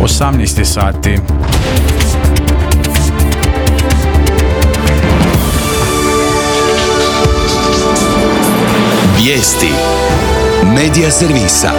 18 sati. Vijesti Medija servisa.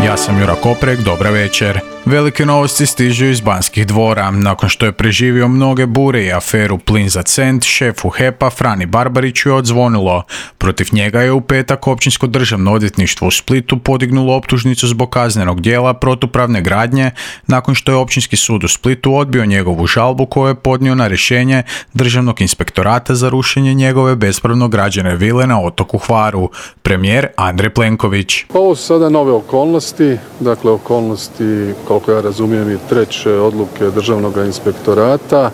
Ja sam Jura Koprek, dobra večer. Velike novosti stižu iz Banskih dvora. Nakon što je preživio mnoge bure i aferu Plin za cent, šefu HEP-a Frani Barbariću je odzvonilo. Protiv njega je u petak Općinsko državno odvjetništvo u Splitu podignulo optužnicu zbog kaznenog djela protupravne gradnje, nakon što je Općinski sud u Splitu odbio njegovu žalbu koju je podnio na rješenje Državnog inspektorata za rušenje njegove bespravno građene vile na otoku Hvaru. Premijer Andrej Plenković. Ovo su sada nove okolnosti, dakle okolnosti, koliko ja razumijem, i treće odluke Državnog inspektorata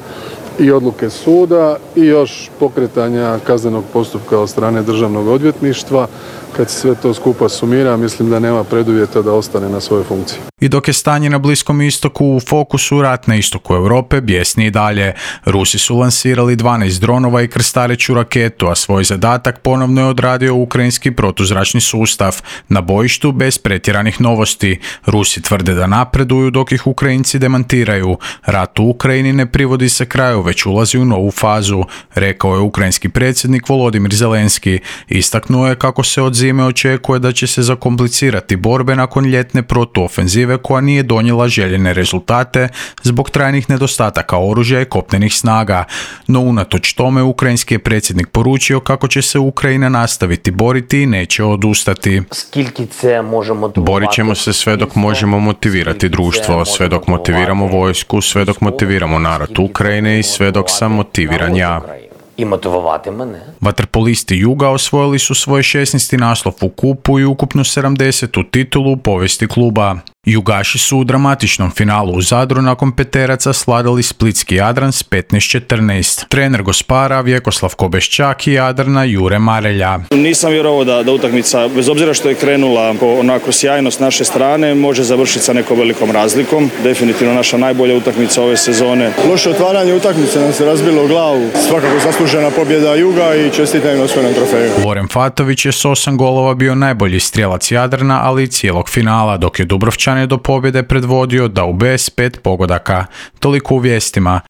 i odluke suda i još pokretanja kaznenog postupka od strane Državnog odvjetništva. Kad se sve to skupa sumira, mislim da nema preduvjeta da ostane na svojoj funkciji. I dok je stanje na Bliskom istoku u fokusu, rat na istoku Europe bjesni i dalje. Rusi su lansirali 12 dronova i krstareću raketu, a svoj zadatak ponovno je odradio ukrajinski protuzračni sustav. Na bojištu bez pretjeranih novosti. Rusi tvrde da napreduju dok ih Ukrajinci demantiraju. Rat u Ukrajini ne privodi se kraju, već ulazi u novu fazu, rekao je ukrajinski predsjednik Volodimir Zelenski. Istaknuo je kako se od zime očekuje da će se zakomplicirati borbe nakon ljetne protuofenzive koja nije donijela željene rezultate zbog trajnih nedostataka oružja i kopnenih snaga. No unatoč tome ukrajinski je predsjednik poručio kako će se Ukrajina nastaviti boriti i neće odustati. Borit ćemo se sve dok možemo motivirati društvo, sve dok motiviramo vojsku, sve dok motiviramo narod Ukrajine i sve dok sam motiviran ja. Vaterpolisti Juga osvojili su svoj 16. naslov u kupu i ukupno 70. titulu u povijesti kluba. Jugaši su u dramatičnom finalu u Zadru nakon peteraca sladali splitski Jadran s 15-14. Trener Gospara Vjekoslav Kobeščak i Jadrana Jure Marelja. Nisam vjerovao da utakmica, bez obzira što je krenula onako sjajno s naše strane, može završiti sa nekom velikom razlikom. Definitivno naša najbolja utakmica ove sezone. Loše otvaranje utakmice nam se razbilo u glavu. Svakako zaslužena pobjeda Juga i čestitam na osvojenom trofeju. Loren Fatović je s 8 golova bio najbolji strijelac Jadrana, ali i cijelog finala, dok je Dubrovčan je do pobjede predvodio Daube s 5 pogodaka. Toliko u vijestima.